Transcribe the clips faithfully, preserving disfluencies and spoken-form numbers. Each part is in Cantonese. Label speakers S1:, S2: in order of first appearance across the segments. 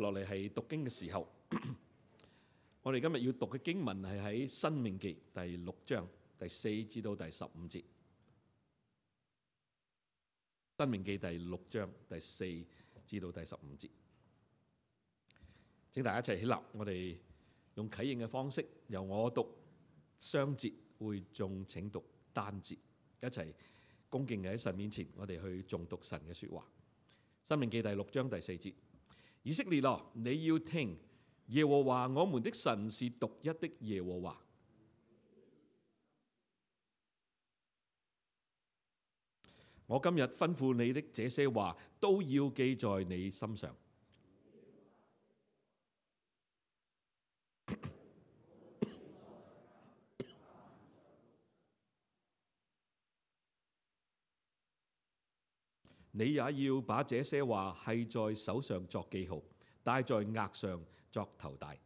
S1: 落嚟係讀經嘅時候，我哋今日要讀嘅經文係喺《申命記》第六章第四至到第十五節。《申命記》第六章第四至到第十五節，請大家一齊起立，我哋用啟應嘅方式，由我讀雙節，會眾請讀單節，一齊恭敬嘅喺神面前，我哋去誦讀神嘅說話。《申命記》第六章第四節：以色列啊，你要聽，耶和華我們的神是獨一的耶和華。我今日吩咐你的這些話，都要記在你心上。你也要把這些話繫在手上作記號，戴在額上作頭帶。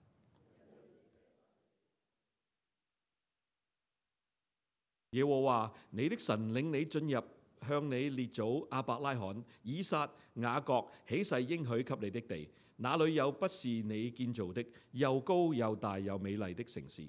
S1: 耶和華你的神領你進入向你列祖亞伯拉罕、以撒、雅各起誓應許給你的地，那裏有不是你建造的，又高又大又美麗的城市。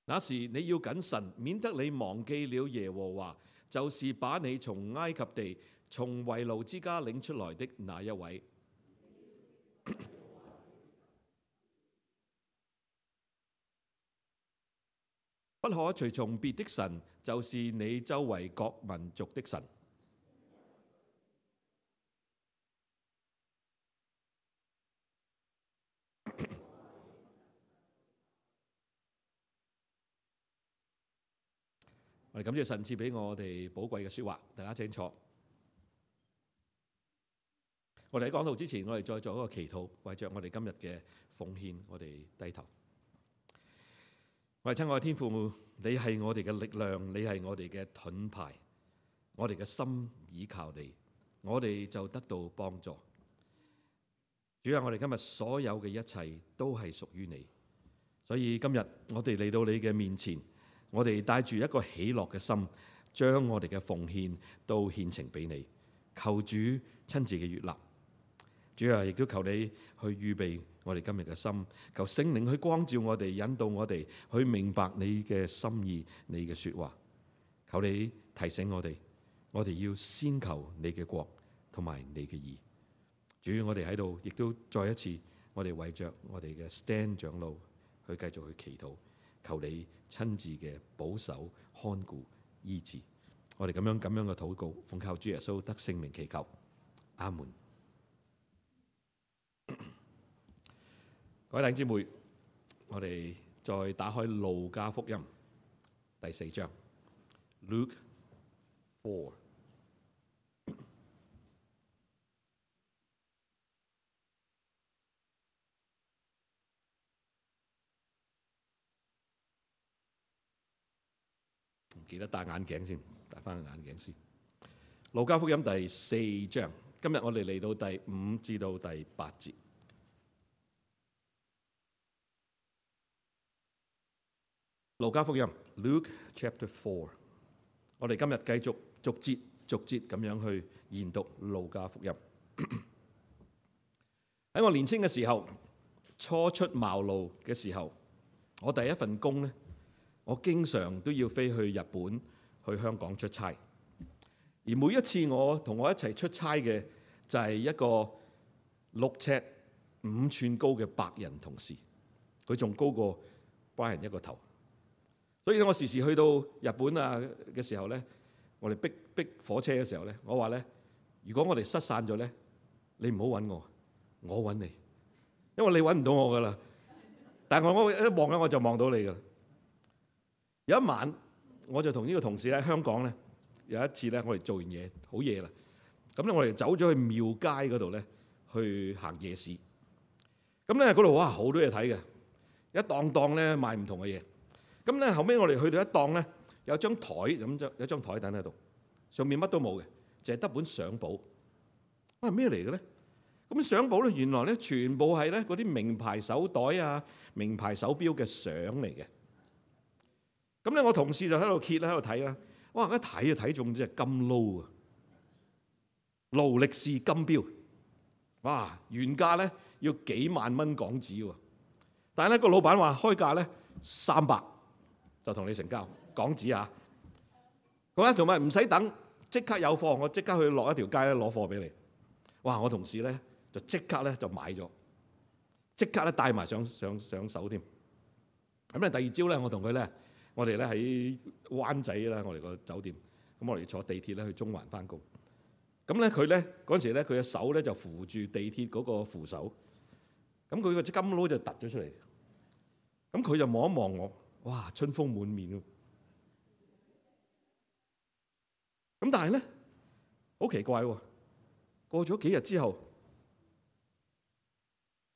S1: 那時你要謹慎，免得你忘記了耶和華，就是把你從埃及地、從為奴之家領出來的那一位。不可隨從別的神，就是你周圍各民族的神。我哋感謝神賜俾我哋寶貴嘅說話，大家請坐。我哋喺講道之前，我哋再做一個祈禱，為着我哋今日嘅奉獻，我哋低頭。我哋親愛嘅天父，你係我哋嘅力量，你係我哋嘅盾牌，我哋嘅心倚靠你，我哋就得到幫助。主啊，我哋今日所有嘅一切都係屬於你，所以今日我哋嚟到你嘅面前。我哋帶住一個喜樂嘅心，將我哋嘅奉獻都獻呈俾你，求主親自嘅悅納。主啊，亦都求你去預備我哋今日嘅心，求聖靈去光照我哋，引導我哋去明白你嘅心意，你嘅說話。求你提醒我哋，我哋要先求你嘅國同埋你嘅義。主，我哋喺度亦都再一次，我哋為着我哋嘅 Stand 長老去繼續去祈禱。求你親自嘅保守、看顧、醫治，我哋咁樣咁樣嘅禱告，奉靠主耶穌得聖名祈求，阿門。各位弟兄姊妹，我哋再打開路加福音第四章 Luke four。記得戴眼鏡先，戴翻個眼鏡先。路加福音第四章，今日我哋嚟到第五至到第八節。路加福音 Luke Chapter Four， 我哋今日繼續逐節逐節咁樣去研讀路加福音。喺我年輕嘅時候，初出茅廬嘅時候，我第一份工呢，我經常都要飛去日本、去香港出差，而每一次我同我一齊出差嘅就係一個六尺五寸高嘅白人同事，佢仲高過白人一個頭。所以咧，我時時去到日本啊嘅時候咧，我哋逼逼火車嘅時候咧，我話咧，如果我哋失散咗咧，你唔好揾我，我揾你，因為你揾唔到我噶啦。但係我我一望咧，我就望到你噶啦。有一晚，我就同呢個同事喺香港咧，有一次咧，我哋做完嘢好夜啦，咁咧我哋走咗去廟街嗰度咧，去行夜市。咁咧嗰度哇好多嘢睇嘅，一檔檔咧賣唔同嘅嘢。咁咧後尾我哋去到一檔咧，有張台咁就有張台凳喺度，上面乜都冇嘅，淨係得本相簿。啊咩嚟嘅咧？咁相簿咧，原來咧全部係咧嗰啲名牌手袋啊、名牌手錶嘅相嚟嘅。咁咧，我同事就喺度揭啦，喺度睇啦。哇！一睇就睇中隻金勞啊，勞力士金錶。哇！原價咧要幾萬蚊港紙喎，但係咧個老闆話開價咧三百就同你成交港紙啊。咁咧同埋唔使等，即刻有貨，我即刻去落一條街咧攞貨俾你。哇！我同事咧就即刻咧就買咗，即刻咧帶埋上上上手添。咁咧第二朝咧，我同佢咧，我哋咧喺灣仔啦，我哋個酒店。咁我哋坐地鐵咧去中環翻工。咁咧佢咧嗰陣時咧，佢嘅手咧就扶住地鐵嗰個扶手。咁佢個金勞就突咗出嚟。咁佢就望一望我，哇！春風滿面喎。咁但係咧好奇怪喎，過咗幾日之後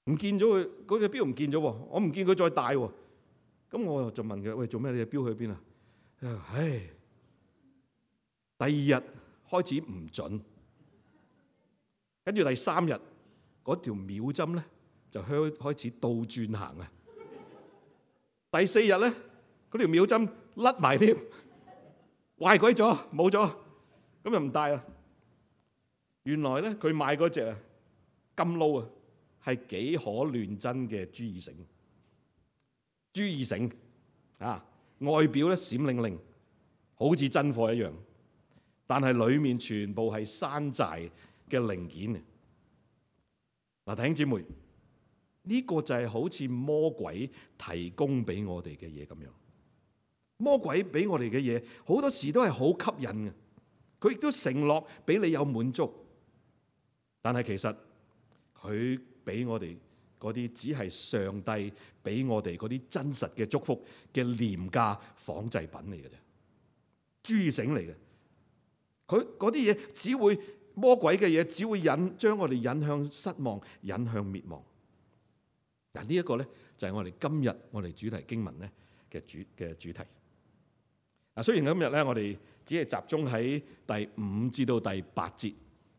S1: 唔見咗佢嗰隻錶唔見咗喎，我唔見佢再戴喎。咁我就問佢：喂，做咩？你隻錶去邊啊？唉，第二日開始唔準，跟住第三日嗰條秒針咧就開開始倒轉行啊！第四日咧嗰條秒針甩埋添，壞鬼咗，冇咗，咁就唔戴啦。原來咧佢買嗰隻啊金勞啊係幾可亂真嘅朱義盛。朱義盛啊，外表咧閃靈靈，好似真貨一樣，但係裡面全部係山寨嘅零件。嗱，弟兄姊妹，呢個就係好似魔鬼提供俾我哋嘅嘢咁樣。魔鬼俾我哋嘅嘢好多時都係好吸引嘅，佢亦都承諾俾你有滿足，但係其實佢俾我哋嗰啲只係上帝俾我哋嗰啲真實嘅祝福嘅廉價仿製品嚟嘅啫，朱義盛嚟嘅。佢嗰啲嘢只會魔鬼嘅嘢，只會引將我哋引向失望，引向滅亡。嗱，呢一個咧就係我哋今日我哋主題經文咧嘅主嘅主題。嗱，雖然今日咧我哋只係集中喺第五至到第八節。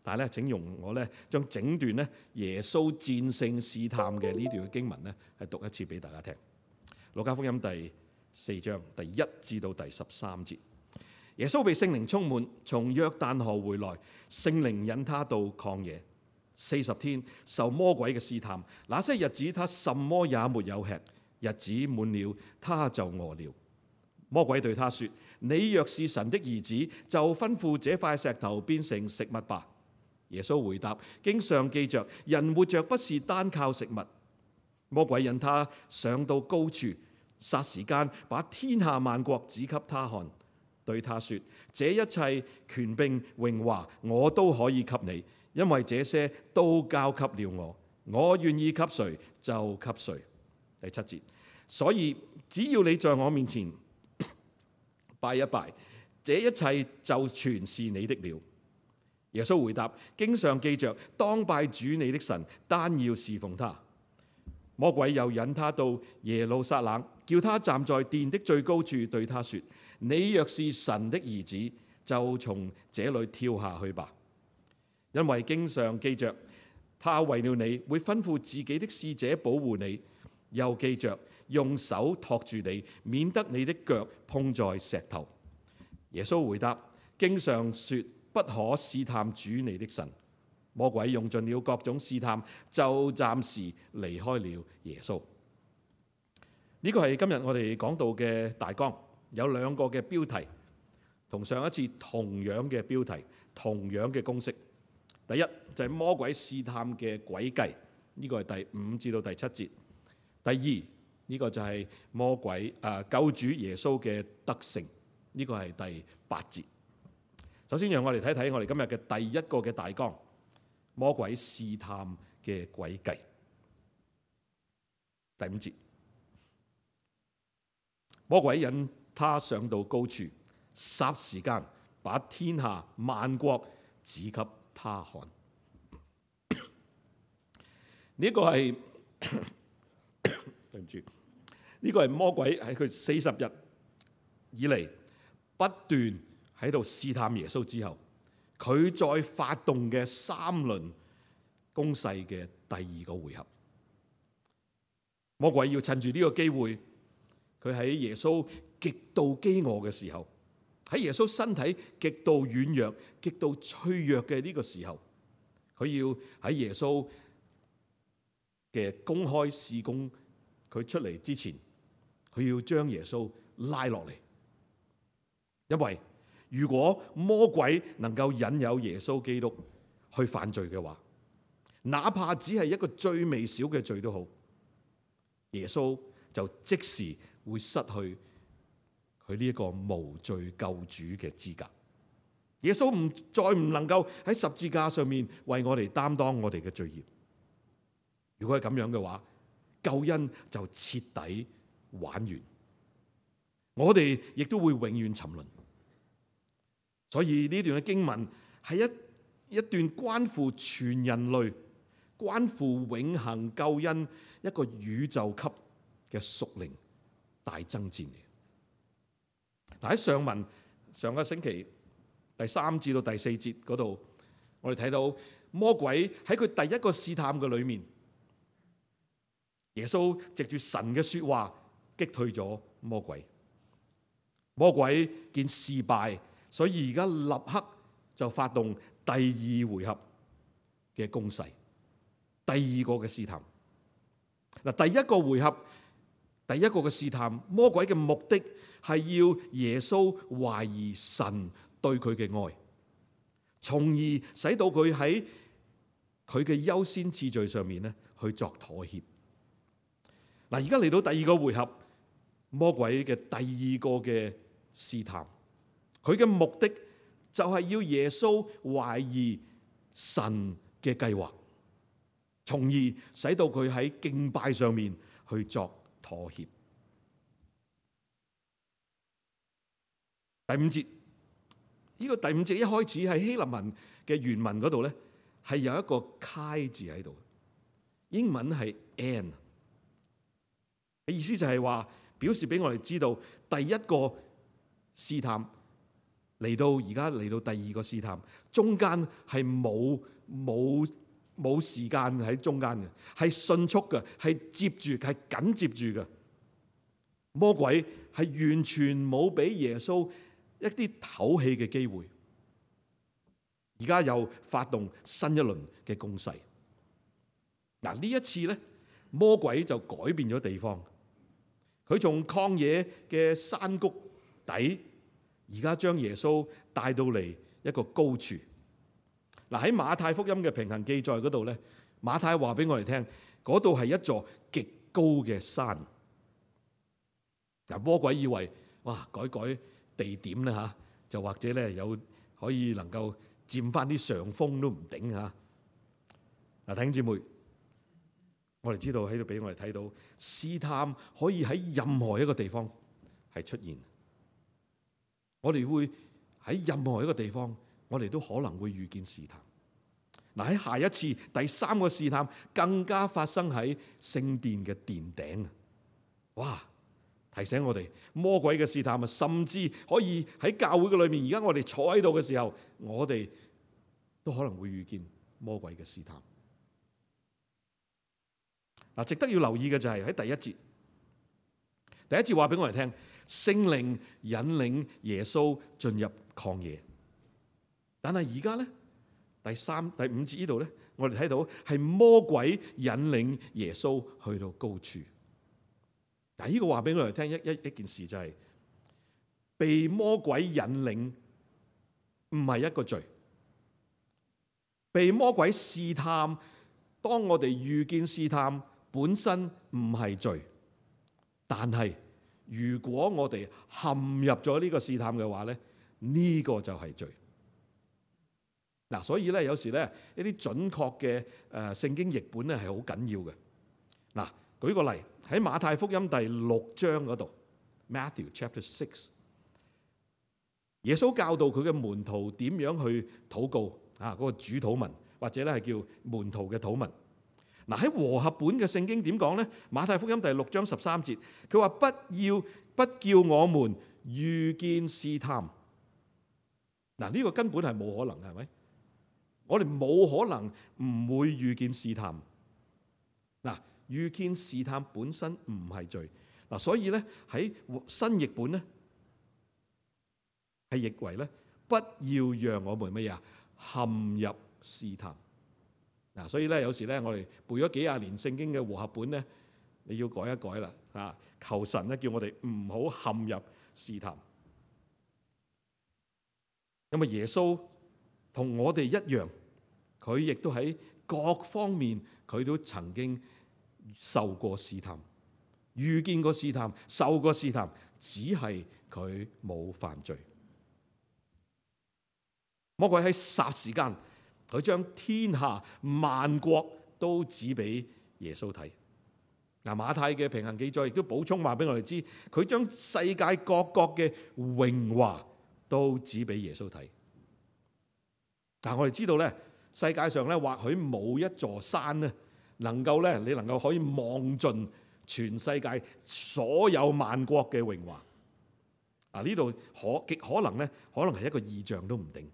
S1: 但係咧，請容我咧將整段咧耶穌戰勝試探嘅呢段經文咧係讀一次俾大家聽。路加福音第四章第一至到第十三節，耶穌被聖靈充滿，從約旦河回來，聖靈引他到曠野，四十天受魔鬼嘅試探。那些日子他什麼也沒有吃，日子滿了他就餓了。魔鬼對他說：你若是神的兒子，就吩咐這塊石頭變成食物吧。耶穌回答：經上記着，人活着不是單靠食物。魔鬼引他上到高處，霎時間把天下萬國指給他看，對他說：這一切權柄榮華我都可以給你，因為這些都交給了我，我願意給誰就給誰。第七節，所以只要你在我面前拜一拜，這一切就全是你的了。耶穌回答：經上記着，當拜主你的神，單要侍奉他。魔鬼又引他到耶路撒冷，叫他站在殿的最高處，對他說：你若是神的兒子，就從這裏跳下去吧。因為經上記着，他為了你會吩咐自己的使者保護你，又記着用手托住你，免得你的腳碰在石頭。耶穌回答：經上說，不可試探主你的神。魔鬼用盡了各種試探，就暫時離開了耶穌。呢個係今日我哋講到嘅大綱，有兩個嘅標題，同上一次同樣嘅標題，同樣嘅公式。第一就係魔鬼試探嘅詭計，呢個係第五至到第七節。第二呢個就係魔鬼誒救主耶穌嘅得勝，呢個係第八節。首先，讓我哋睇睇我哋今日嘅第一個嘅大綱，魔鬼試探嘅詭計。第五節，魔鬼引他上到高處，霎時間把天下萬國指給他看。呢個係對唔住，呢個係魔鬼喺佢四十日以嚟不斷喺度試探耶穌之後，佢再發動嘅三輪攻勢嘅第二個回合。魔鬼要趁住呢個機會，佢喺耶穌極度飢餓嘅時候，喺耶穌身體極度軟弱、極度脆弱嘅呢個時候，佢要喺耶穌嘅公開事工佢出嚟之前，佢要將耶穌拉落嚟。因為如果魔鬼能夠引誘耶穌基督去犯罪嘅話，哪怕只係一個最微小嘅罪都好，耶穌就即時會失去佢呢一個無罪救主嘅資格。耶穌唔再唔能夠喺十字架上面為我哋擔當我哋嘅罪孽。如果係咁樣嘅話，救恩就徹底玩完，我哋亦都會永遠沉淪。所以呢段嘅經文係一一段關乎全人類、關乎永恆救恩一個宇宙級嘅屬靈大爭戰嚟。嗱，喺上文上個星期第三至到第四節嗰度，我哋睇到魔鬼喺佢第一個試探嘅裏面，耶穌藉住神嘅說話擊退咗魔鬼。魔鬼見事敗，所以而家立刻就發動第二回合嘅攻勢，第二個嘅試探。嗱，第一個回合，第一個嘅試探，魔鬼嘅目的係要耶穌懷疑神對佢嘅愛，從而使到佢喺佢嘅優先次序上面咧去作妥協。嗱，而家嚟到第二個回合，魔鬼嘅第二個嘅試探，佢嘅目的就係要耶穌懷疑神嘅計劃，從而使到佢喺敬拜上面去作妥協。第五節，呢個第五節一開始喺希臘文嘅原文嗰度咧，係有一個揩字喺度，英文係 and， 嘅意思就係話表示俾我哋知道第一個試探嚟到而家嚟到第二個試探，中間係冇冇冇時間喺中間嘅，係迅速嘅，係接住係緊接住嘅。魔鬼係完全冇俾耶穌一啲唞氣嘅機會，而家又發動新一輪嘅攻勢。嗱，呢一次咧，魔鬼就改變咗地方，佢從曠野嘅山谷底，而家將耶穌帶到嚟一個高處。嗱，喺馬太福音嘅平行記載嗰度咧，馬太話俾我哋聽，嗰度係一座極高嘅山。嗱，魔鬼以為哇，改改地點咧嚇，就或者咧有可以能夠佔翻啲上風都唔頂嚇。嗱，弟兄姊妹，我哋知道喺度俾我哋睇到試探可以喺任何一個地方係出現。我哋會喺任何一個地方，我哋都可能會遇見試探。嗱，喺下一次第三個試探，更加發生喺聖殿嘅殿頂。哇！提醒我哋魔鬼嘅試探啊，甚至可以喺教會嘅裏面。而家我哋坐喺度嘅時候，我哋都可能會遇見魔鬼嘅試探。嗱，值得要留意嘅就係喺第一節，第一節話俾我哋聽，聖靈引領耶穌進入曠野。但係而家咧，第三、第五節呢度咧，我哋睇到係魔鬼引領耶穌去到高處。嗱，呢個話俾我哋聽一一一件事，就係被魔鬼引領唔係一個罪，被魔鬼試探，當我哋遇見試探本身唔係罪，但係如果我哋陷入咗呢個試探嘅話咧，呢個就係罪。嗱，所以咧有時咧一啲準確嘅誒聖經譯本咧係好緊要嘅。嗱，舉個例。喺馬太福音第六章嗰度 ，Matthew chapter six， 耶穌教導佢嘅門徒點樣去禱告啊，嗰個主禱文或者咧係叫門徒嘅禱文。嗱，喺和合本嘅聖經點講咧？馬太福音第六章十三節，佢話不要不叫我們遇見試探。嗱，呢個根本係冇可能嘅，係咪？我哋冇可能唔會遇見試探。嗱，遇見試探本身唔係罪。嗱，所以咧喺新譯本咧係譯為咧，不要讓我們乜嘢啊陷入試探。嗱，所以咧有時咧我哋背咗幾廿年聖經嘅和合本咧，你要改一改啦，啊，求神咧叫我哋唔好陷入試探。因為耶穌同我哋一樣，佢亦都喺各方面佢都曾經受過試探，遇見過試探，受過試探，只係佢冇犯罪。魔鬼喺霎時間，佢將天下萬國都指俾耶穌睇。嗱，馬太嘅平行記載亦都補充話俾我哋知，佢將世界各國嘅榮華都指俾耶穌睇。但我哋知道咧，世界上咧或許冇一座山咧，能夠咧你能夠可以望盡全世界所有萬國嘅榮華。啊，呢度可極可能咧，可能係一個異象都唔定。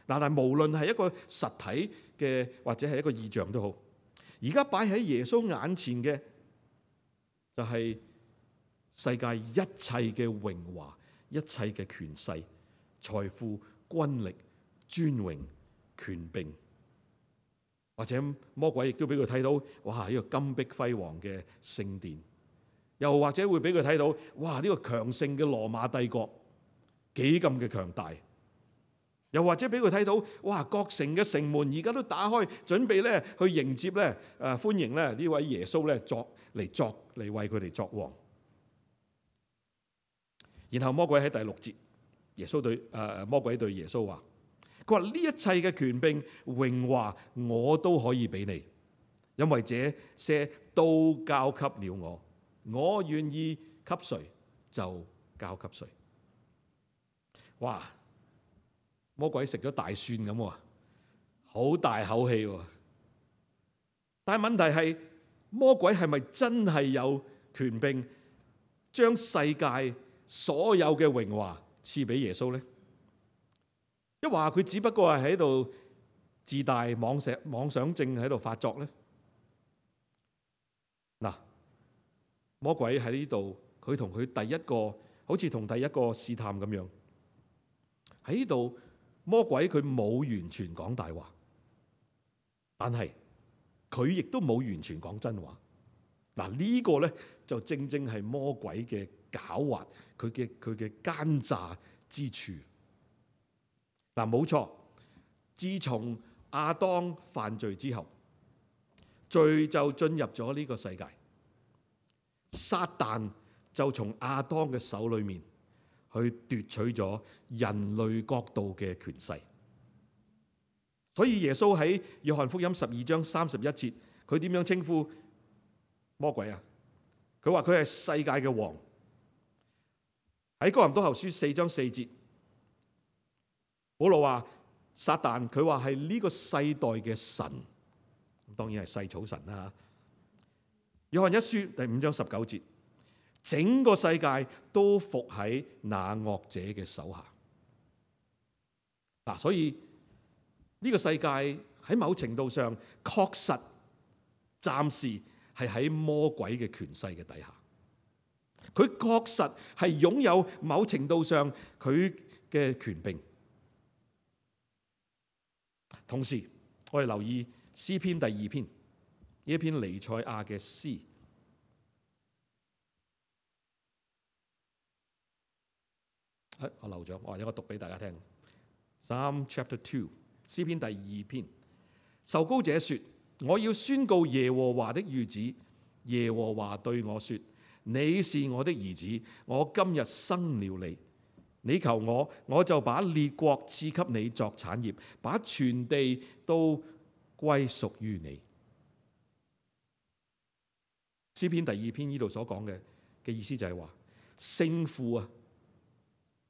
S1: 嗱，但係無論係一個實體嘅或者係一個異象都好，而家擺喺耶穌眼前嘅就係世界一切嘅榮華、一切嘅權勢、財富、軍力、尊榮、權柄，或者魔鬼亦都俾佢睇到，哇！呢個金碧輝煌嘅聖殿，又或者會俾佢睇到，哇！呢個強盛嘅羅馬帝國幾咁嘅強大，又或者俾佢睇到，哇！各城嘅城門而家都打開，準備咧去迎接咧誒歡迎咧呢位耶穌咧作嚟作嚟為佢哋作王。然後魔鬼喺第六節，耶穌對誒、呃、魔鬼對耶穌話。佢話呢一切嘅權柄榮華我都可以俾你，因為這些都交給了我，我願意給誰就交給誰。哇！魔鬼食咗大蒜咁喎，好大口氣喎。但係問題係，魔鬼係咪真係有權柄將世界所有嘅榮華賜俾耶穌呢？一話佢只不過係喺度自大妄想妄想症喺度發作咧。嗱，魔鬼喺呢度，佢同佢第一個好似同第一個試探咁樣喺呢度。魔鬼佢冇完全講大話，但係佢亦都冇完全講真話。嗱，呢個咧就正正係魔鬼嘅狡猾，佢嘅佢嘅奸詐之處。嗱，冇錯，自從亞當犯罪之後，罪就進入咗呢個世界，撒旦就從亞當嘅手裏面去奪取咗人類國度嘅權勢。所以耶穌喺約翰福音十二章三十一節，佢點樣稱呼魔鬼啊？佢話佢係世界嘅王。喺哥林多後書四章四節，保羅話撒旦，佢話係呢個世代嘅神，當然係細草神啦。約翰一書第五章十九節，整個世界都服喺那惡者嘅手下。嗱，所以呢個世界喺某程度上確實暫時係喺魔鬼嘅權勢嘅底下，佢確實係擁有某程度上佢嘅權柄。同時，我哋留意詩篇第二篇，呢一篇彌賽亞嘅詩。我漏咗，我有個讀俾大家聽。Psalm Chapter Two， 詩篇第二篇，受膏者說：我要宣告耶和華的諭旨。耶和華對我說：你是我的兒子，我今日生了你。你求我，我就把列國賜給你作產業，把全地都歸屬於你。詩篇第二篇呢度所講嘅嘅意思就係話，聖父啊，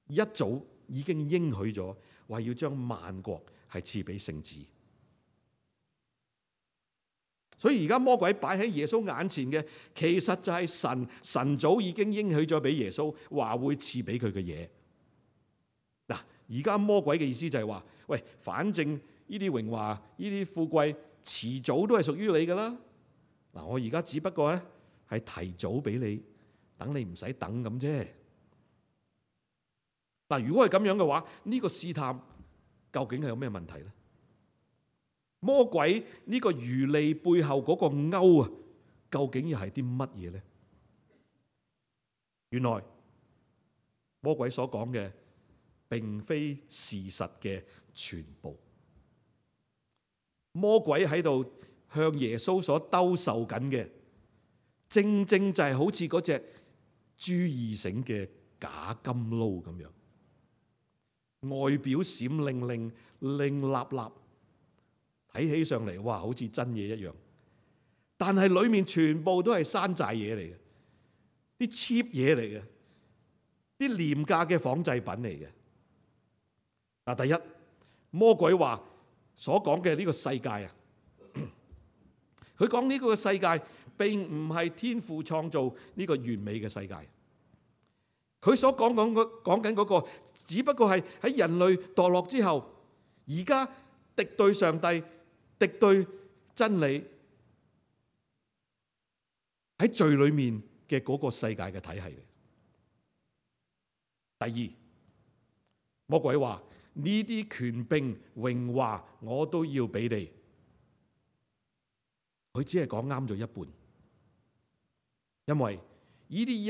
S1: 一早已經應許咗，話要將萬國係賜俾聖子。所以而家魔鬼擺喺耶穌眼前嘅，其實就係神，神早已經應許咗俾耶穌，話會賜俾佢嘅嘢。嗱，而家魔鬼嘅意思就係話，喂，反正呢啲榮華、呢啲富貴，遲早都係屬於你噶啦。嗱，我而家只不過咧係提早俾你，等你唔使等咁啫。嗱，如果係咁樣嘅話，呢個試探究竟係有咩問題咧？魔鬼呢個漁利背後嗰個鈎啊，究竟又係啲乜嘢咧？原來魔鬼所講嘅並非事實嘅全部。魔鬼喺度向耶穌所兜售緊嘅，正正就係好似嗰隻朱義盛嘅假金撈咁樣，外表閃靈靈、靈立立，睇起上嚟哇，好似真嘢一樣，但係裏面全部都係山寨嘢嚟嘅，啲 cheap 嘢嚟嘅，啲廉價嘅仿製品嚟嘅。嗱，第一，魔鬼話所講嘅呢個世界啊，佢講呢個世界並唔係天父創造呢個完美嘅世界。佢所講講講緊嗰個，只不過係喺人類墮落之後，而家敵對上帝、敵對真理喺罪裏面嘅嗰個世界嘅體系。第二，魔鬼話呢啲權柄、榮華我都要俾你。佢只係講啱咗一半，因為呢啲一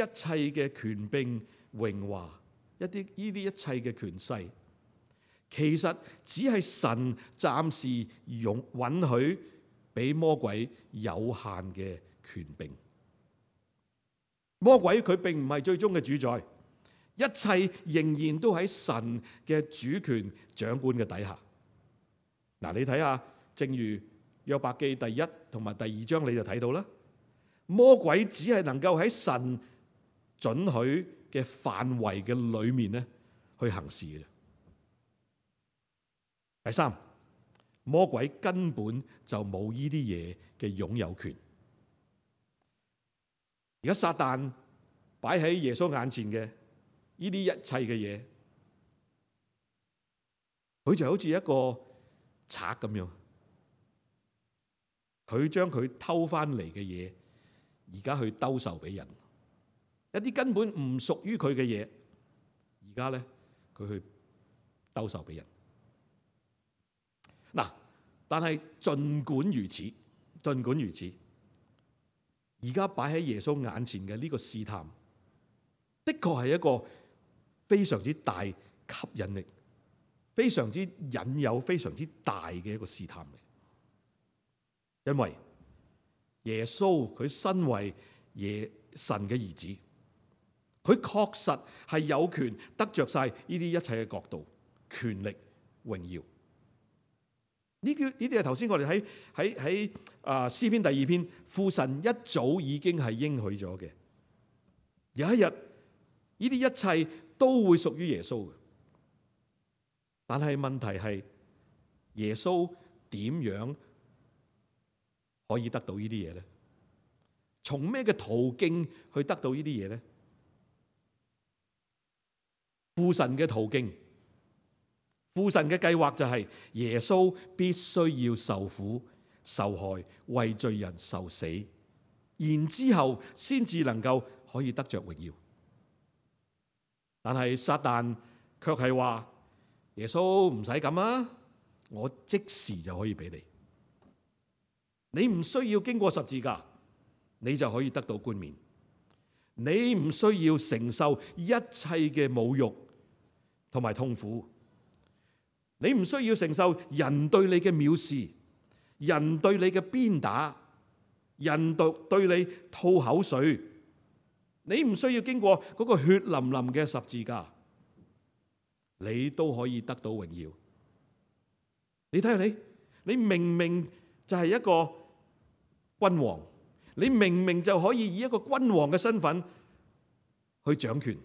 S1: 切嘅權柄、榮華，一啲呢啲一切嘅權勢，其實只係神暫時容允許俾魔鬼有限嘅權柄。魔鬼佢並唔係最終嘅主宰，一切仍然都喺神嘅主權掌管嘅底下。嗱，你睇下，正如約伯記第一同埋第二章，你就睇到啦。魔鬼只係能夠喺神准許嘅範圍嘅裏面咧去行事嘅。第三，魔鬼根本就冇呢啲嘢嘅擁有權。而家撒旦擺喺耶穌眼前嘅呢啲一切嘅嘢，佢就好似一個賊咁樣，佢將佢偷翻嚟嘅嘢，而家去兜售俾人。一啲根本唔屬於佢嘅嘢，而家咧佢去兜售俾人。嗱，但係儘管如此，儘管如此，而家擺喺耶穌眼前嘅呢個試探，的確係一個非常之大吸引力、非常之引誘、非常之大嘅一個試探嚟。因為耶穌佢身為耶神嘅兒子，佢確實係有權得着晒呢啲一切嘅國度、權力、榮耀。呢啲呢啲係頭先我哋喺喺喺啊詩篇第二篇，父神一早已經係應許咗嘅。有一日呢啲一切都會屬於耶穌嘅，但係問題係耶穌點樣可以得到呢啲嘢咧？從咩嘅途徑去得到呢啲嘢咧？父神嘅途徑，父神嘅計劃就係耶穌必須要受苦、受害，為罪人受死，然之後先至能夠可以得着榮耀。但係撒旦卻係話耶穌唔使咁啊，我即時就可以俾你，你唔需要經過十字架，你就可以得到冠冕，你唔需要承受一切嘅侮辱同埋痛苦，你唔需要承受人對你嘅藐視，人對你嘅鞭打，人對對你吐口水，你唔需要經過嗰個血淋淋嘅十字架，你都可以得到榮耀。你睇下你，你明明就係一個君王，你明明就可以以一個君王嘅身份去掌權，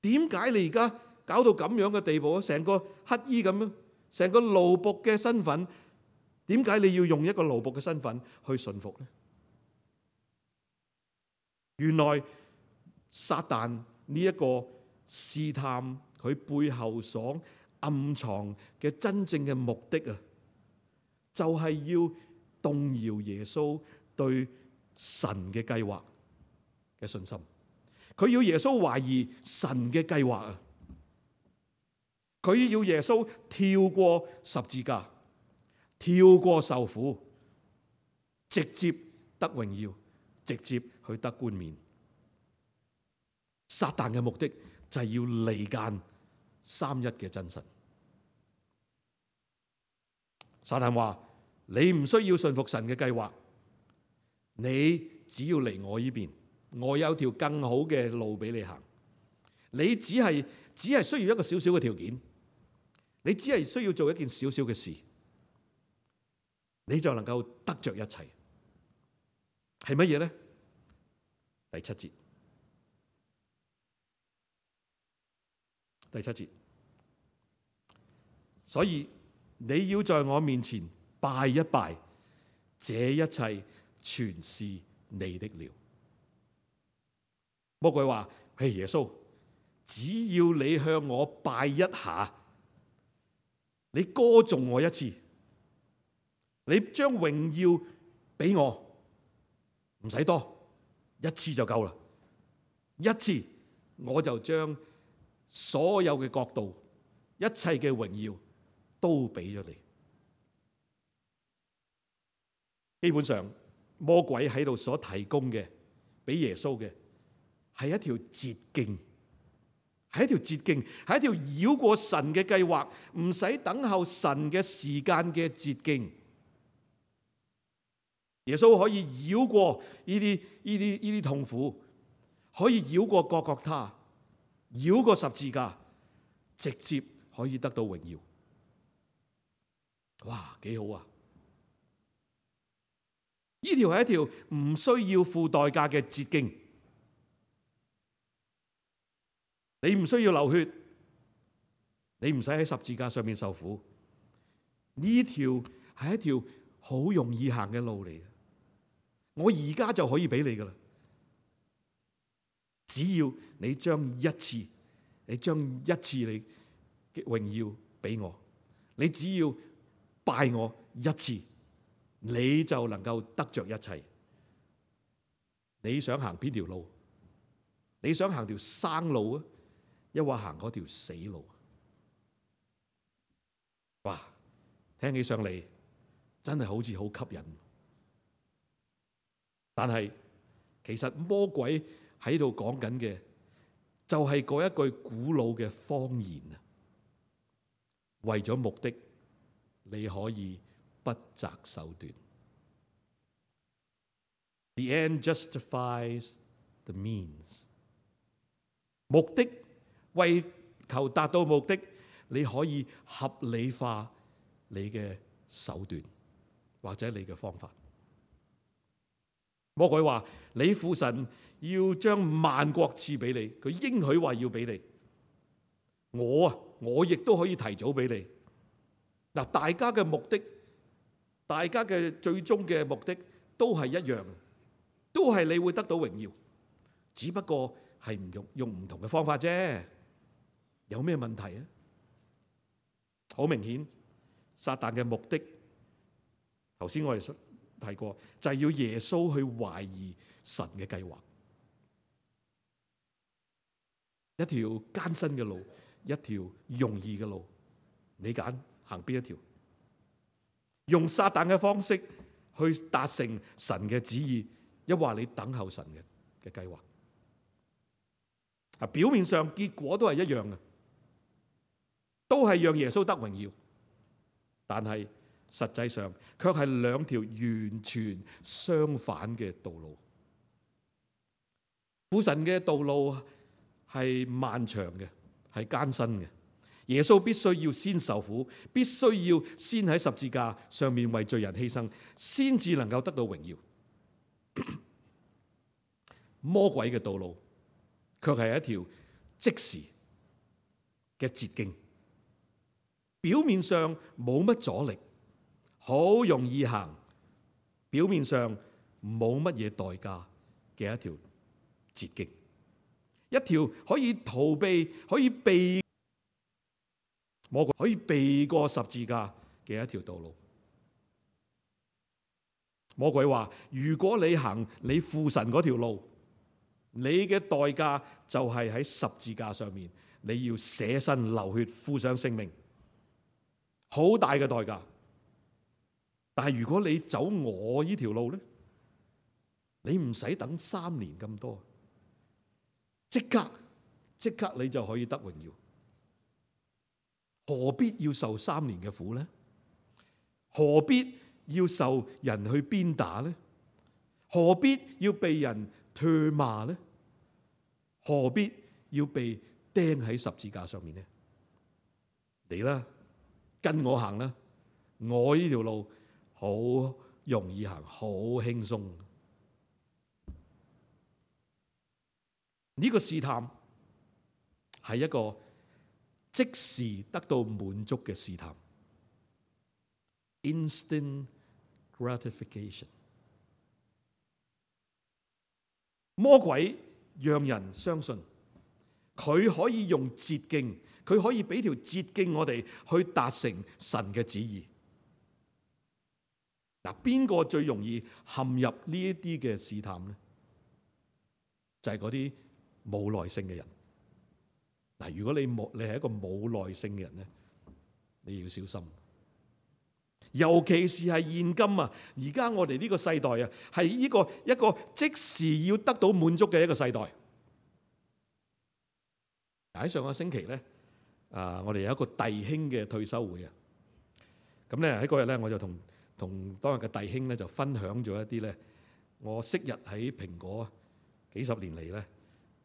S1: 點解你而家搞到咁樣嘅地步啊？成個乞衣咁樣，成個奴僕嘅身份，點解你要用一個奴僕嘅身份去順服呢？原來撒旦呢一個試探佢背後所暗藏嘅真正嘅目的啊，就係要動搖耶穌對神嘅計劃嘅信心。佢要耶穌懷疑神嘅計劃啊！佢要耶穌跳過十字架，跳過受苦，直接得榮耀，直接去得冠冕。撒旦嘅目的就係要離間三一嘅真神。撒旦話：你唔需要順服神嘅計劃，你只要嚟我呢邊，我有條更好嘅路俾你行。你只係只係需要一個小小嘅條件，你只係需要做一件小小嘅事，你就能夠得着一切。係乜嘢呢？第七節，第七節，所以你要在我面前拜一拜，這一切全是你的了。魔鬼話：嘿，耶穌，只要你向我拜一下，你歌頌我一次，你將榮耀俾我，唔使多，一次就夠啦。一次我就將所有嘅國度、一切嘅榮耀都俾咗你。基本上，魔鬼喺度所提供嘅俾耶穌嘅係一條捷徑，係一條捷徑，係一條繞過神嘅計劃，唔使等候神嘅時間嘅捷徑。耶穌可以繞過呢啲呢啲呢啲痛苦，可以繞過各各他，繞過十字架，直接可以得到榮耀。哇，幾好啊！呢條係一條唔需要付代價嘅捷徑，你唔需要流血，你唔使喺十字架上面受苦。呢條係一條好容易行嘅路嚟嘅，我而家就可以俾你噶啦。只要你將一次，你將一次你嘅榮耀俾我，你只要拜我一次，你就能夠得着一切。你想行邊條路？你想行條生路啊，抑或行嗰條死路？哇，聽起上嚟真係好似好吸引。但係其實魔鬼喺度講緊嘅就係嗰一句古老嘅謊言啊！為咗目的，你可以不擇手段。The end justifies the means。目的，為求達到目的，你可以合理化你嘅手段或者你嘅方法。魔鬼話：你父神要將萬國賜俾你，佢應許話要俾你。我啊，我亦都可以提早俾你。嗱，大家嘅目的，大家嘅最終嘅目的都係一樣，都係你會得到榮耀，只不過係唔用用唔同嘅方法啫。有咩問題啊？好明顯，撒旦嘅目的，頭先我哋提過，就係要耶穌去懷疑神嘅計劃，一條艱辛嘅路，一條容易嘅路，你揀行邊一條？用撒旦嘅方式去達成神嘅旨意，抑或你等候神嘅嘅計劃？啊，表面上結果都係一樣嘅，都係讓耶穌得榮耀，但係實際上卻係兩條完全相反嘅道路。父神嘅道路係漫長嘅，係艱辛嘅。耶穌必須要先受苦，必須要先喺十字架上面為罪人犧牲，先至能夠得到榮耀。魔鬼嘅道路卻係一條即時嘅捷徑，表面上冇乜阻力，好容易行，表面上冇乜嘢代價嘅一條捷徑，一條可以逃避、可以避、魔鬼可以避過十字架嘅一條道路。魔鬼話：如果你行你父神嗰條路，你嘅代價就係喺十字架上面，你要捨身流血，付上性命，好大嘅代價。但係如果你走我呢條路咧，你唔使等三年咁多，即刻即刻你就可以得榮耀。何必要受三年嘅苦呢？何必要受人去鞭打呢？何必要被人唾罵呢？何必要被釘喺十字架上面呢？嚟啦，跟我行啦！我呢條路好容易行，好輕鬆。呢個試探係一個即時得到滿足嘅試探 ，instant gratification。魔鬼讓人相信佢可以用捷徑，佢可以俾條捷徑我哋去達成神嘅旨意。嗱，邊個最容易陷入呢一啲嘅試探呢？就係嗰啲冇耐性嘅人。嗱，如果你冇你係一個冇耐性嘅人咧，你要小心。尤其是係現今啊，而家我哋呢個世代啊，係呢個一個即時要得到滿足嘅一個世代。喺上個星期咧，啊，我哋有一個弟兄嘅退休會啊。咁咧喺嗰日咧，我就同同當日嘅弟兄咧就分享咗一啲咧，我昔日喺蘋果幾十年嚟咧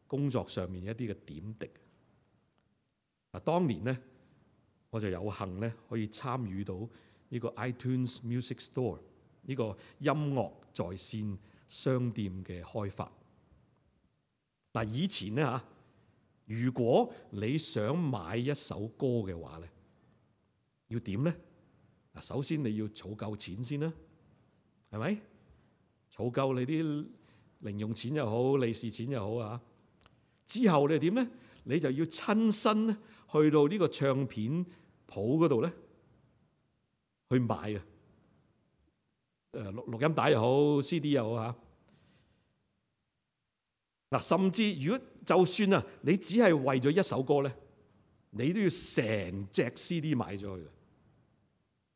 S1: 工作上面一啲嘅點滴。嗱，當年咧我就有幸咧可以參與到呢個 iTunes Music Store 呢個音樂在線商店嘅開發。嗱，以前咧嚇，如果你想買一首歌嘅話咧，要點咧？嗱，首先你要儲夠錢先啦，係咪？儲夠你啲零用錢又好，利是錢又好啊。之後你點咧？你就要親身咧去到呢個唱片鋪嗰度咧去買啊。誒，錄錄音帶又好 ，C D 又好嚇。嗱，甚至如果就算啊，你只係為咗一首歌咧，你都要成隻 C D 買咗去。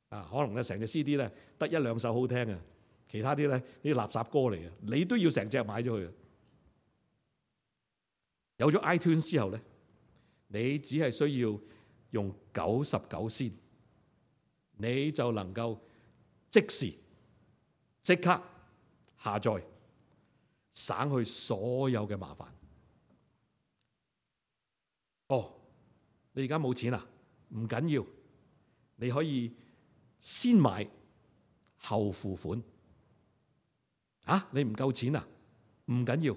S1: 啊，可能咧成隻 C D 咧得一兩首好聽嘅，其他啲咧啲垃圾歌嚟嘅，你都要成隻買咗去。有咗 iTunes 之後咧，你只係需要用九十九仙，你就能夠即時即刻下載，省去所有嘅麻煩。哦，你而家冇錢啊？唔緊要，你可以先買後付款。啊，你唔夠錢啊？唔緊要，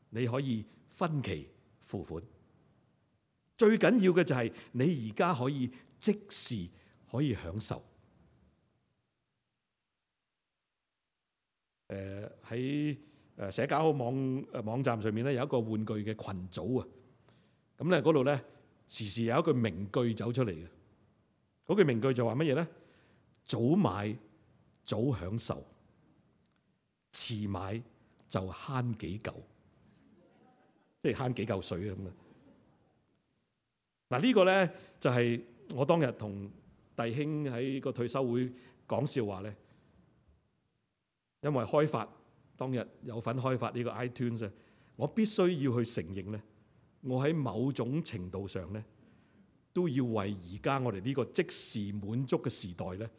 S1: 你可以分期付款。最緊要嘅就係你而家可以即時可以享受。誒喺誒社交網誒網站上面咧有一個玩具嘅群組啊，咁咧嗰度咧時時有一句名句走出嚟嘅。嗰句名句就話乜嘢咧？早買早享受，遲買就慳幾嚿，即係慳幾嚿水啊咁啊！嗱，呢個咧就係我當日同弟兄喺個退休會講笑話咧，因為開發當日有份開發呢個 iTunes， 我必須要去承認咧，我喺某種程度上咧都要為而家我哋呢個即時滿足嘅時代咧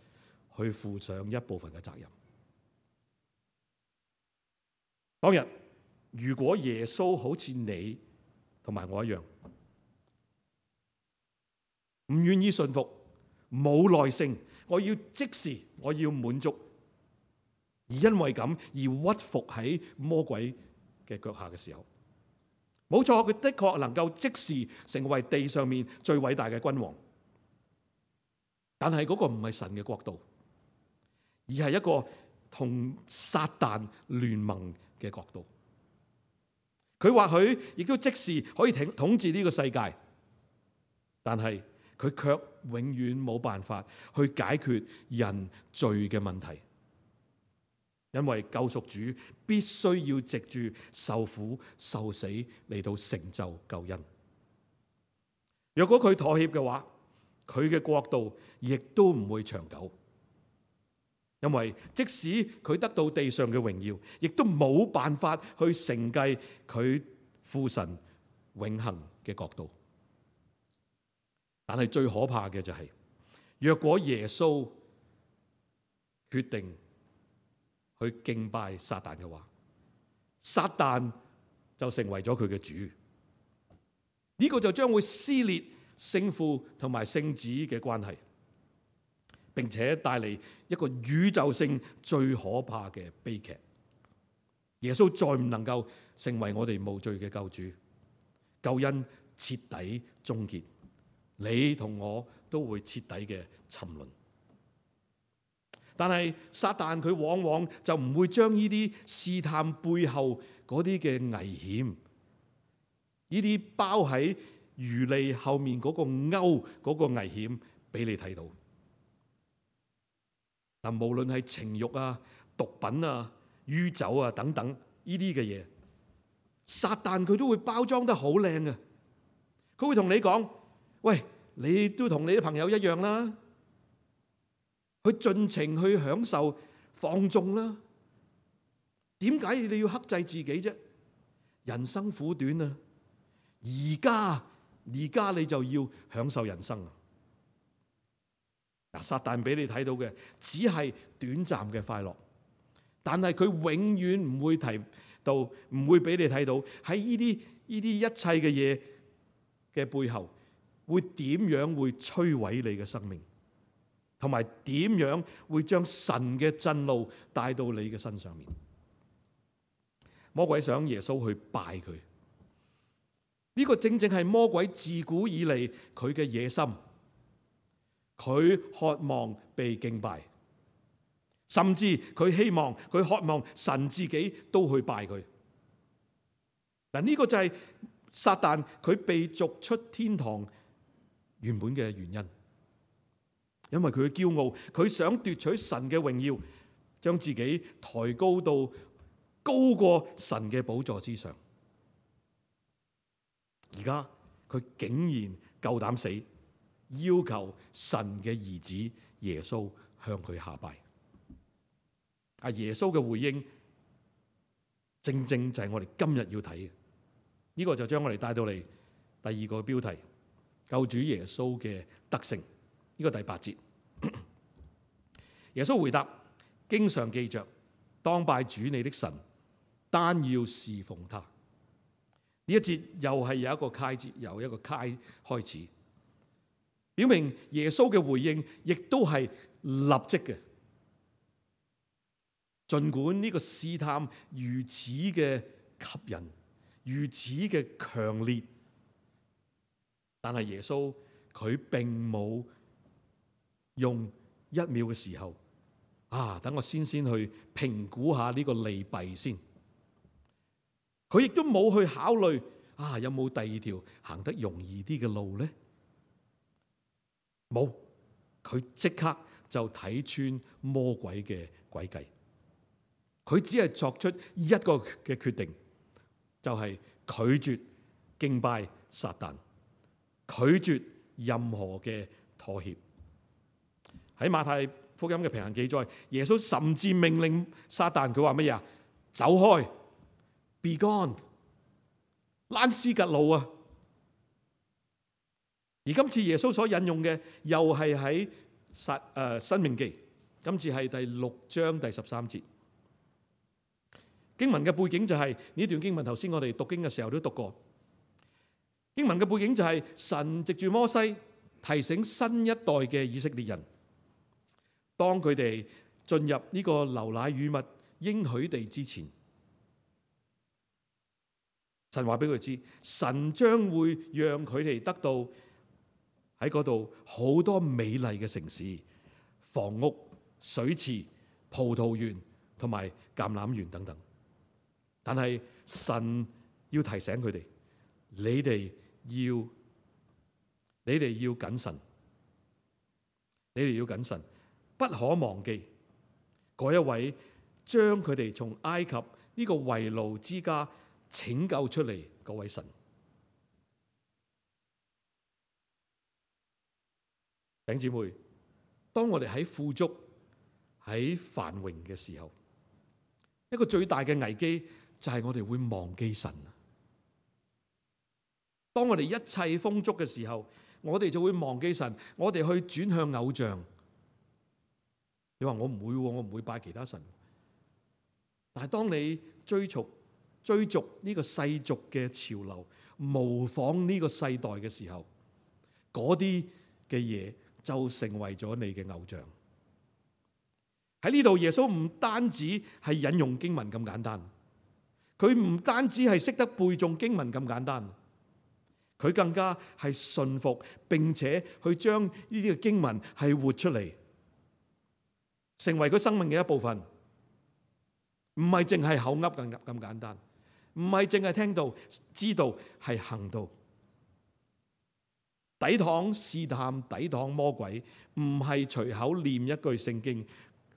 S1: 去負上一部分嘅責任。當日如果耶穌好似你同埋我一樣，唔願意順服，冇耐性，我要即時，我要滿足，而因為咁而屈服喺魔鬼嘅腳下嘅時候，冇錯，佢的確能夠即時成為地上面最偉大嘅君王，但係嗰個唔係神嘅國度，而係一個同撒旦聯盟嘅國度。佢或許亦都即時可以統統治呢個世界，但係佢卻永遠冇辦法去解決人罪嘅問題，因為救贖主必須要藉住受苦受死嚟到成就救恩。若果佢妥協嘅話，佢嘅國度亦都唔會長久，因為即使佢得到地上嘅榮耀，亦都冇辦法去承繼佢父神永恆嘅國度。但係最可怕嘅就係，若果耶穌決定去敬拜撒旦嘅話，撒旦就成為咗佢嘅主。呢個就將會撕裂聖父同埋聖子嘅關係，並且帶嚟一個宇宙性最可怕嘅悲劇。耶穌再唔能夠成為我哋無罪嘅救主，救恩徹底終結，你同我都會徹底嘅沉淪。但係撒旦佢往往就唔會將呢啲試探背後嗰啲嘅危險，呢啲包喺魚脷後面嗰個鈎嗰個危險俾你睇到。嗱，無論係情慾啊、毒品啊、酗酒啊等等呢啲嘅嘢，撒旦佢都會包裝得好靚嘅。佢會同你講：喂，你都同你啲朋友一樣啦，去盡情去享受放縱啦。點解你要克制自己啫？人生苦短啊！而家而家你就要享受人生啊！嗱，撒旦俾你睇到嘅只係短暫嘅快樂，但係佢永遠唔會提到，唔會俾你睇到喺呢啲呢啲一切嘅嘢嘅背後，會點樣會摧毀你嘅生命，同埋點樣會將神嘅震怒帶到你嘅身上面。魔鬼想耶穌去拜佢，呢個正正係魔鬼自古以嚟佢嘅野心。佢渴望被敬拜，甚至佢希望佢渴望神自己都去拜佢。嗱，呢個就係撒旦佢被逐出天堂原本嘅原因，因為佢嘅驕傲，佢想奪取神嘅榮耀，將自己抬高到高過神嘅寶座之上。而家佢竟然夠膽死，要求神嘅兒子耶穌向佢下拜。啊，耶穌嘅回應正正就係我哋今日要睇嘅。呢個就將我哋帶到嚟第二個標題：救主耶穌嘅德性。呢個第八節，耶穌回答：經上記着，當拜主你的神，單要侍奉他。呢一節又係有一個開節，由一個開開始，表明耶穌嘅回應亦都係立即嘅。儘管呢個試探如此嘅吸引，如此嘅強烈，但係耶穌佢並冇用一秒嘅時候啊，等我先先去評估下呢個利弊先。佢亦都冇去考慮啊，有冇第二條行得容易啲嘅路咧？冇，佢即刻就睇穿魔鬼嘅詭計。佢只係作出一個嘅決定，就係拒絕敬拜撒旦，拒絕任何嘅妥協。喺馬太福音嘅平行記載，耶穌甚至命令撒旦，佢話乜嘢啊？走開 ，be gone， 躝屍趌路啊！而今次耶穌所引用嘅又係喺撒誒申命記，今次係第六章第十三節。經文嘅背景就係、是、呢段經文，頭先我哋讀經嘅時候都讀過。經文嘅背景就係、是、神藉住摩西提醒新一代嘅以色列人，當佢哋進入呢個流奶與蜜應許地之前，神話俾佢知，神將會讓佢哋得到喺嗰度好多美麗嘅城市、房屋、水池、葡萄園同埋橄欖園等等。但係神要提醒佢哋，你哋要你哋要謹慎，你哋要謹慎，不可忘記嗰一位將佢哋從埃及呢個為奴之家拯救出嚟嗰位神。弟兄姊妹，當我哋喺富足、喺繁榮嘅時候，一個最大嘅危機就係我哋會忘記神。當我哋一切豐足嘅時候，我哋就會忘記神，我哋去轉向偶像。你話我唔會，我唔會拜其他神。但係當你追逐追逐呢個世俗嘅潮流，模仿呢個世代嘅時候，嗰啲嘅嘢就成為咗你嘅偶像。喺呢度，耶穌唔單止係引用經文咁簡單，佢唔單止係識得背誦經文咁簡單，佢更加係信服，並且去將呢啲嘅經文係活出嚟，成為佢生命嘅一部分。唔係淨係口噏咁咁簡單，唔係淨係聽到知道，係行到。抵擋試探，抵擋魔鬼，唔係隨口念一句聖經，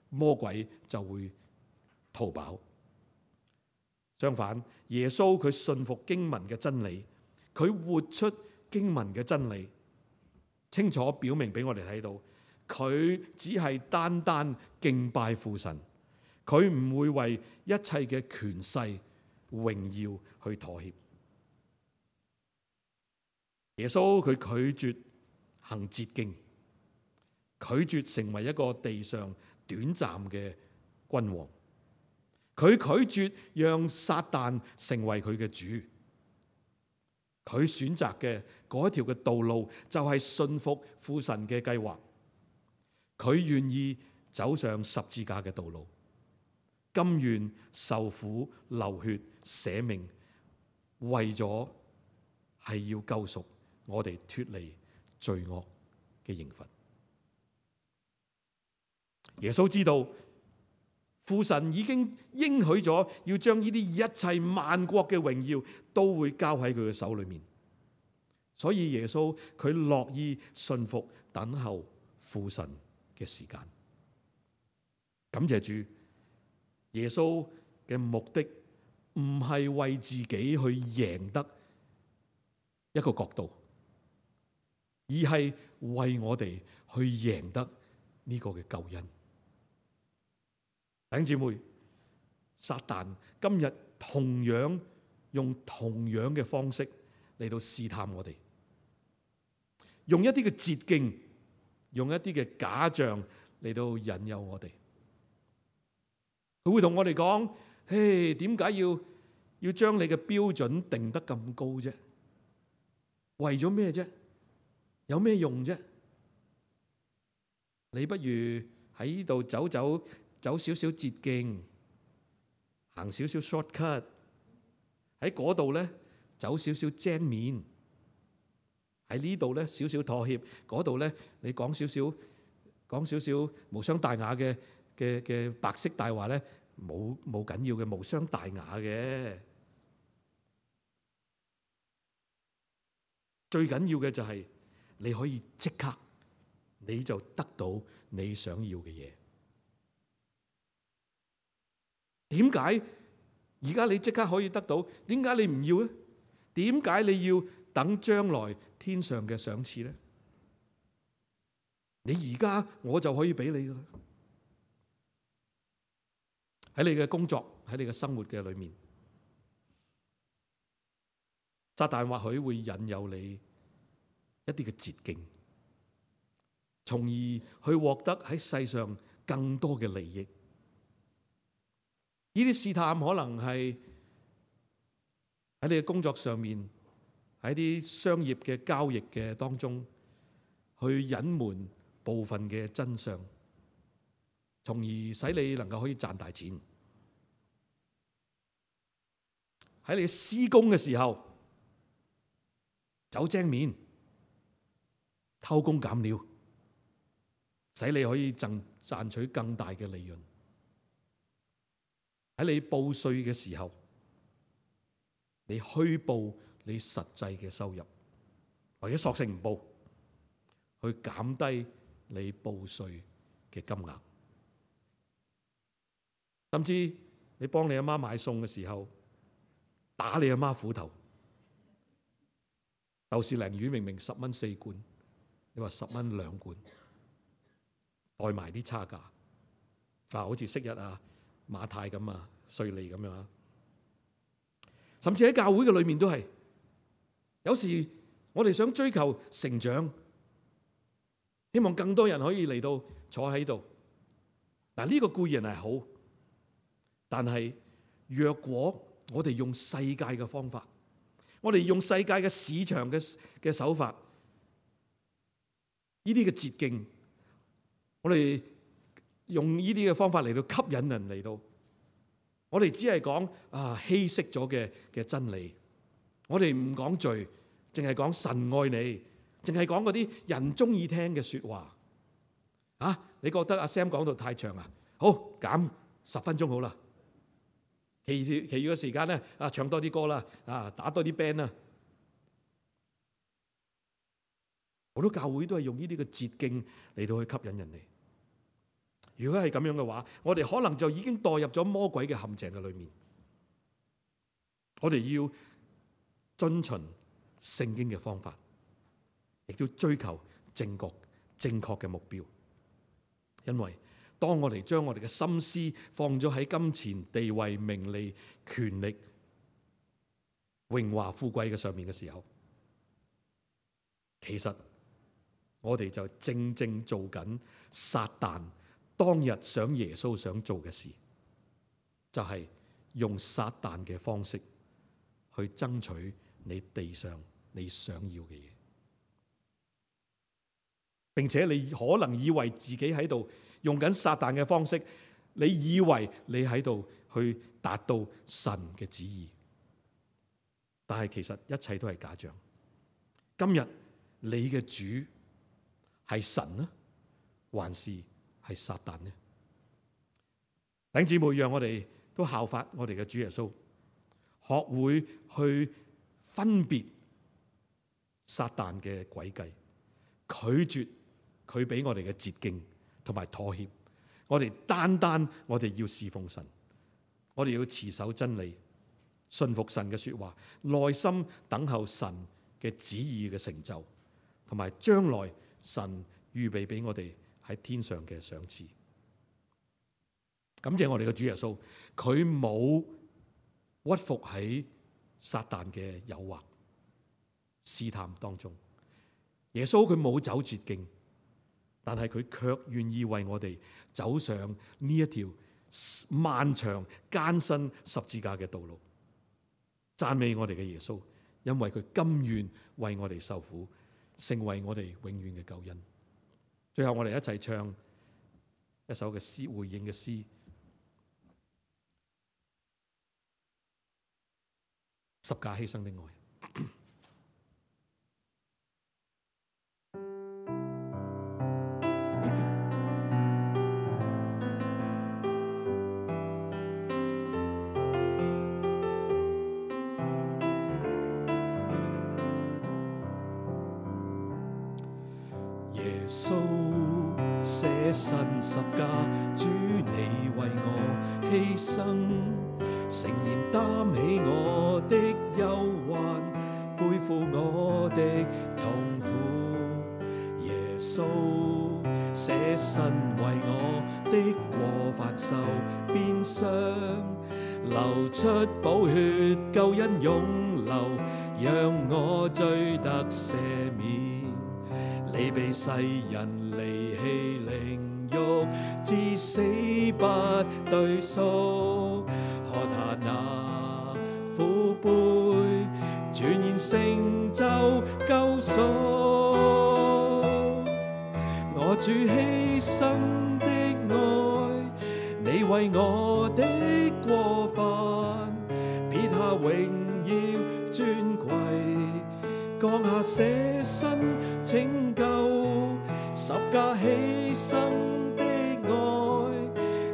S1: 魔鬼就會逃跑。相反，耶穌佢信服經文嘅真理，佢活出經文嘅真理，清楚表明俾我哋睇到，佢只係單單敬拜父神，佢唔會為一切嘅權勢榮耀去妥協。耶穌佢拒絕行捷徑，拒絕成為一個地上短暫嘅君王，佢拒絕讓撒旦成為佢嘅主。佢選擇嘅嗰一條嘅道路就係信服父神嘅計劃，佢願意走上十字架嘅道路，甘願受苦流血捨命，為咗係要救贖我哋脫離罪惡嘅刑罰。耶穌知道父神已經應許咗要將呢啲一切萬國嘅榮耀都會交喺佢嘅手裏面，所以耶穌佢樂意信服等候父神嘅時間。感謝主，耶穌嘅目的唔係為自己去贏得一個國度，而係為我哋去贏得呢個嘅救恩。弟兄姊妹，撒旦今日同樣用同樣嘅方式嚟到試探我哋，用一啲嘅捷徑，用一啲嘅假象嚟到引誘我哋。佢會同我哋講：嘿，點解要要將你嘅標準定得咁高啫？為咗咩啫？有咩用啫？你不如喺呢度走走走少少捷徑，行少少 shortcut， 喺嗰度咧走少少精面，喺呢度咧少少妥協，嗰度咧你講少少講少少無傷大雅嘅嘅嘅白色大話咧，冇冇緊要嘅，無傷大雅嘅。最緊要嘅就係你可以即刻，你就得到你想要嘅嘢。點解而家你即刻可以得到？點解你唔要咧？點解你要等將來天上嘅賞賜咧？你而家我就可以俾你噶啦。喺你嘅工作，喺你嘅生活嘅裏面，撒旦或許會引誘你一啲嘅捷徑，從而去獲得喺世上更多嘅利益。呢啲試探可能係喺你嘅工作上面，喺啲商業嘅交易嘅當中，去隱瞞部分嘅真相，從而使你能夠可以賺大錢。喺你施工嘅時候，走精面，偷工減料，使你可以賺賺取更大嘅利潤。喺你報稅嘅時候，你虛報你實際嘅收入，或者索性唔報，去減低你報稅嘅金額。甚至你幫你阿媽買餸嘅時候，打你阿媽斧頭。豆豉鯪魚明明十蚊四罐，你話十蚊兩罐，代埋啲差價。啊，好似昔日啊馬太咁啊，稅吏咁樣啊。甚至喺教會嘅裏面都係，有時我哋想追求成長，希望更多人可以嚟到坐喺度。嗱，呢個固然係好，但係若果我哋用世界嘅方法，我哋用世界嘅市場嘅嘅手法，呢啲嘅捷徑，我哋用呢啲嘅方法嚟到吸引人嚟到，我哋只係講啊稀釋咗嘅嘅真理，我哋唔講罪，淨係講神愛你，淨係講嗰啲人中意聽嘅說話。啊，你覺得阿 Sam 講到太長啊？好，減十分鐘好啦。其餘其餘嘅時間咧，啊唱多啲歌啦，啊打多啲 band 啦。好多教會都係用呢啲嘅捷徑嚟到去吸引人哋。如果係咁樣嘅話，我哋可能就已經墮入咗魔鬼嘅陷阱嘅裏面。我哋要遵循聖經嘅方法，亦都追求正確正確嘅目標。因為當我哋將我哋嘅心思放咗喺金錢、地位、名利、權力、榮華富貴嘅上面嘅時候，其實我哋就正正做緊撒旦當日想耶穌想做嘅事，就係用撒旦嘅方式去爭取你地上你想要嘅嘢，並且你可能以為自己喺度用緊撒旦嘅方式，你以為你喺度去達到神嘅旨意，但係其實一切都係假象。今日你嘅主係神呢，還是係撒旦呢？弟兄姊妹，讓我哋都效法我哋嘅主耶穌，學會去分別撒旦嘅詭計，拒絕佢俾我哋嘅捷徑同埋妥協。我哋單單我哋要侍奉神，我哋要持守真理，信服神嘅說話，耐心等候神嘅旨意嘅成就，同埋將來神預備俾我哋喺天上嘅賞賜。感謝我哋嘅主耶穌，佢冇屈服喺撒旦嘅誘惑試探當中。耶穌佢冇走捷徑，但係佢卻願意為我哋走上呢一條漫長艱辛十字架嘅道路。讚美我哋嘅耶穌，因為佢甘願為我哋受苦，成為我哋永遠嘅救恩。最後我哋一齊唱一首嘅詩，回應嘅詩，十架犧牲的愛。
S2: 耶穌捨身十架，主你為我犧牲，誠然擔起我的憂患，背負我的痛苦。耶穌捨身為我的過犯受鞭傷，流出寶血，救恩湧流，讓我罪得赦免。你被世人離棄凌辱，至死不對數。喝下那苦杯，全然成就救贖。我主犧牲的愛，你為我的過犯撇下榮耀尊貴，降下捨身拯救，十架犧牲的愛，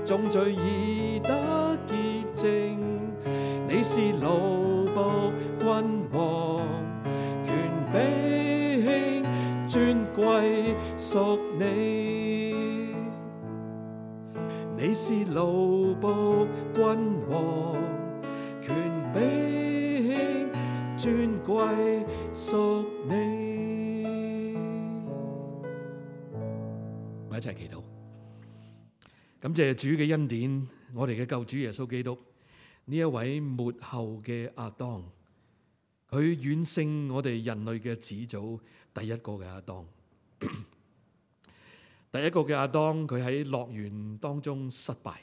S2: 眾罪已得潔淨。你是奴僕君王，權柄尊貴屬你。是奴僕君王，權柄尊貴屬你。
S1: 我一齊祈禱，感謝主嘅恩典，我哋嘅救主耶穌基督呢一位末後嘅亞當，佢遠勝我哋人類嘅始祖第一個嘅亞當。第一個嘅亞當，佢喺樂園當中失敗。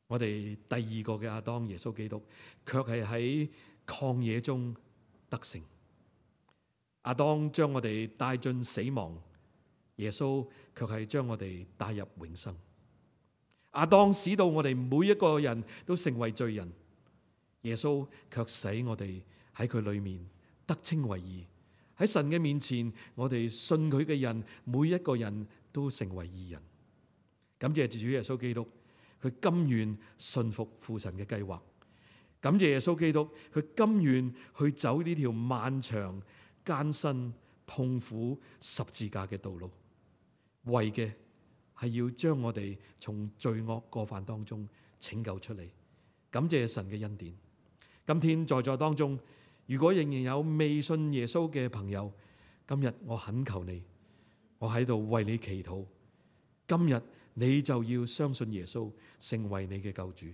S1: 我哋第二個嘅亞當耶穌基督，卻係喺曠野中得勝。亞當將我哋帶進死亡，耶穌卻係將我哋帶入永生。亞當使到我哋每一個人都成為罪人，耶穌卻使我哋喺佢裏面得稱為義。喺神嘅面前，我哋信佢嘅人，每一個人都成為義人。感謝主耶穌基督，佢甘願信服父神嘅計劃。感謝耶穌基督，佢甘願去走呢條漫長、艱辛、痛苦十字架嘅道路，為嘅係要將我哋從罪惡過犯當中拯救出嚟。感謝神嘅恩典。今天在座當中，如果仍然有未信耶穌嘅朋友，今日我懇求你，我喺度為你祈禱。今日你就要相信耶穌，成為你嘅救主。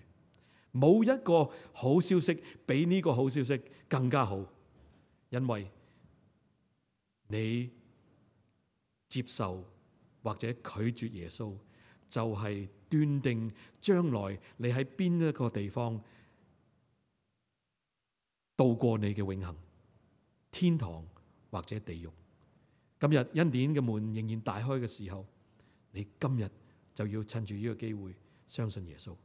S1: 冇一個好消息比呢個好消息更加好，因為你接受或者拒絕耶穌，就係斷定將來你喺邊一個地方度過你嘅永恆，天堂或者地獄。今日恩典嘅門仍然大開嘅時候，你今日就要趁住呢個機會相信耶穌。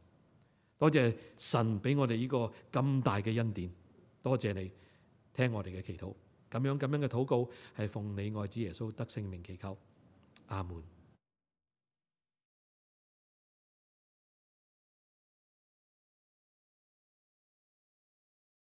S1: 多謝神俾我哋呢個咁大嘅恩典，多謝你聽我哋嘅祈禱。咁樣咁樣嘅禱告係奉你愛子耶穌得聖名祈求，阿門。